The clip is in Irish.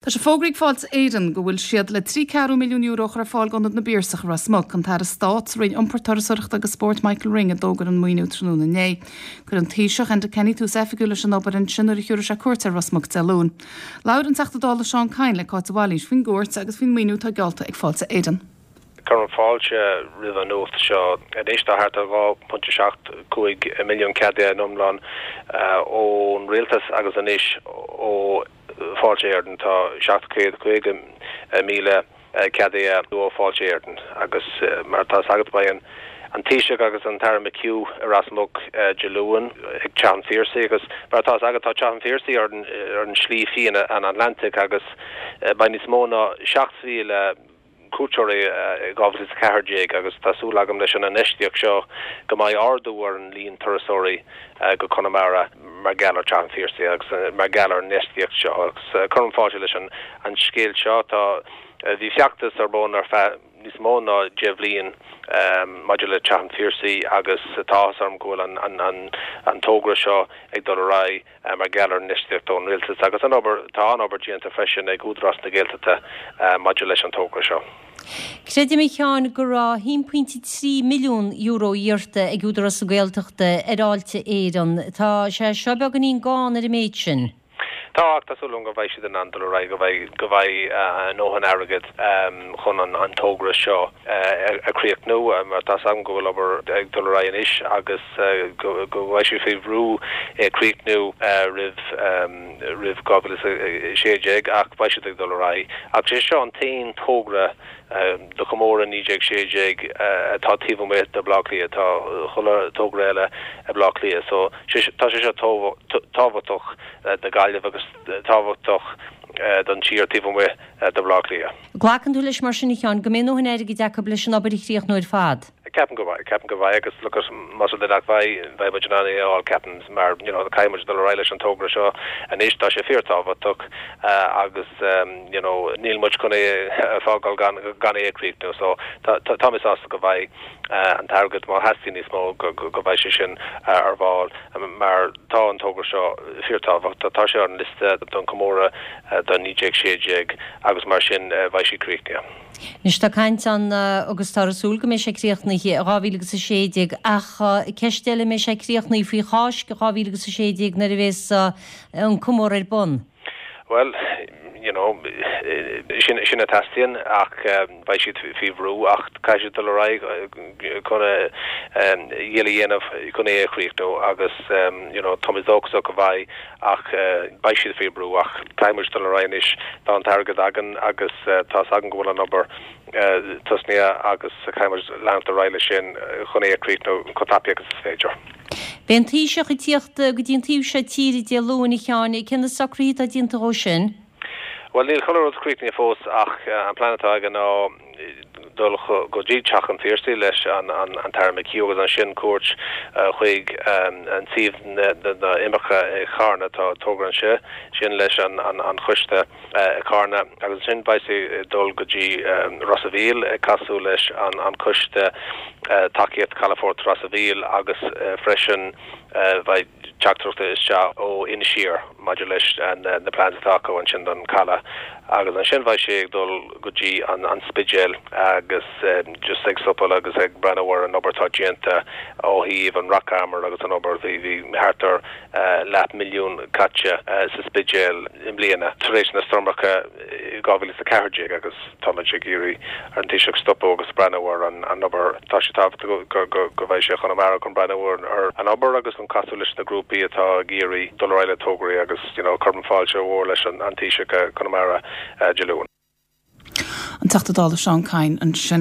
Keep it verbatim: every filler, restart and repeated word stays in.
Tá sé fógraithe ag Fáilte Éireann go bhfuil siad le trí ceathrú milliún euro a chur ar fáil d'Ionad na bPiarsach i Ros Muc, an tAire Stáit sa Roinn Iompair Turasóireachta agus Spóirt Michael Ring a d'fhógair an maoiniú tráthnóna inné. Chuir an Taoiseach Enda Kenny tús oifigiúil leis an obair ansin nuair a thiúrfaidh sé cuairt ar Ros Muc Dé Luain. Labhair an Teachta Dála Seán Kyne le Cáit de Bhailís faoin gcuairt agus faoin maoiniú atá geallta ag Fáilte Éireann. Cuirim fáilte roimh an nuacht seo anois tá thart ar dhá pointe seacht cúig milliún ceadaithe in iomlán ón rialtas agus anois ó Fáilte Éireann tá seacht céad caoga míle ceadaithe ó Fáilte Éireann agus mar atá agat beidh an an Taoiseach agus an tAire McHugh i Ros Muc Dé Luain ag Teach an Phiarsaigh agus mar atá agat tá Teach an Phiarsaigh ar ar an Slí Fhiáin an Atlantic agus beidh níos mó ná seacht mhíle cuairteoirí dhá mhíle is a ceathair déag agus tá súil agam leis an infheistíocht seo go mbeidh ardú ar an líon turasóirí go Conamara mar gheall ar Teach an Phiarsaigh agus mar gheall ar an infheistíocht seo agus cuirim fáilte leis an an scéal seo tá bhí feachtas ar bun ar feadh níos mó ná deich bhliain maidir le Teach an Phiarsaigh agus tá áthas orm go bhfuil an an an an togra seo ag dul ar aghaidh mar gheall ar an infheistíocht ón rialtas agus an obair tá an obair déanta freisin ag Údarás na Gaeltachta maidir leis an togra seo. Creidim a Sheáin go raibh haon pointe trí milliún euro iarrta ag Údarás na Gaeltachta ar Fháilte Éireann. Tá sé seo beagáinín gann ar an méid sin. Tá ach tá súil go mbeidh siad in ann dul ar aghaidh go mbeidh go mbeidh a ndóthain airgead chun an an togra seo a chríochnú mar tá agam go bhfuil obair ag dul ar aghaidh anois agus go go bhfuil siad faoi bhrú é chríochnú roimh roimh dhá mhíle a sé déag ach beidh siad ag dul ar aghaidh. Ach sé seo an t-aon togra do chomóradh naoi déag sé déag atá taobh amuigh de Bhleá Cliath tá chuile togra eile i Bleá Cliath so tá sé seo tábhachtach do Gaillimh agus tábhachtach don tír taobh amuigh de Bhleá Cliath. Glacann tú leis mar sin a Sheáin go mbeidh a ndóthain airgid acu leis an obair a chríochnú ar fad. Ceapaim go mbeidh ceapaim go mbeidh agus lucas más rud é nach mbeidh beidh muid in ann é a fháil ceapaim mar you know caithfidh muid dul ar aghaidh leis an togra seo anois tá sé fíorthábhachtach agus you know níl muid chun é a fhágáil gan gan é a chríochnú so tá tá mé sásta go mbeidh an t-airgead má theastaíonn níos mó go go mbeidh sé sin ar fáil mar tá an togra seo fíorthábhachtach tá sé ar an liosta don comóradh don naoi déag sé déag agus mar sin beidh sé críochnaithe. Anois tá caint ann agus tá súil go mbeidh sé críochnaithe dhá mhíle agus a sé déag ach ceist eile mbeidh sé críochnaithe faoi Cháisc dhá mhíle agus a sé déag nuair a bheas an comóradh ar bun. Well, you know, sin sin a theastaíonn ach beidh siad faoi bhrú ach caithfidh siad dul ar aghaidh chun iarracht a dhéanamh chun é a chríochnú agus you know, tá mé dóchasach go mbeidh ach beidh siad faoi bhrú ach caithfidh muid dul ar aghaidh anois tá an t-airgead againn agus tá againn go bhfuil an obair tosnaithe agus caithfidh muid leanacht ar aghaidh leis sin chun é a chríochnú chomh tapaidh agus is féidir. Beidh an Taoiseach ag tíocht go dtí an taobh seo tíre Dé Luain a Sheáin, cé na socruithe atá déanta dhó sin? Well níl chuile rud críochnaithe fós ach an plean atá aige ná dul go dtí Teach an Phiarsaigh leis an an an tAire McHugh agus ansin cuairt chuig an suíomh na imirce i Carna tá togra ansin sin leis an an an choiste i Carna agus sin beidh sé dul go dtí Ros a' Mhíl ag casadh leis an an coiste tacaíocht Calafort Ros a' Mhíl agus freisin beidh teachtaireacht isteach ó Inis Oírr maidir leis na plans atá acu ansin don caladh agus ansin bheidh sé ag dul go dtí an an Spidéal agus just ag stopadh agus ag breathnú ar an obair atá déanta ó thaobh an rock armour agus an obair bhí bhí thart ar leath milliún caite sa Spidéal i mbliana tar éis na stoirmeacha dhá mhíle is a ceathair déag agus tá muid ag iarraidh ar an Taoiseach stopadh agus breathnú ar an an obair tá sé tábhachtach go go go mbeidh sé Chonamara chun breathnú ar an obair agus an casadh leis na grúpaí atá ag iarraidh dul ar aghaidh le tograí agus you know cuirim fáilte mhór leis an an Taoiseach Conamara Dé Luain. An Teachta Dála Seán Kyne ansin.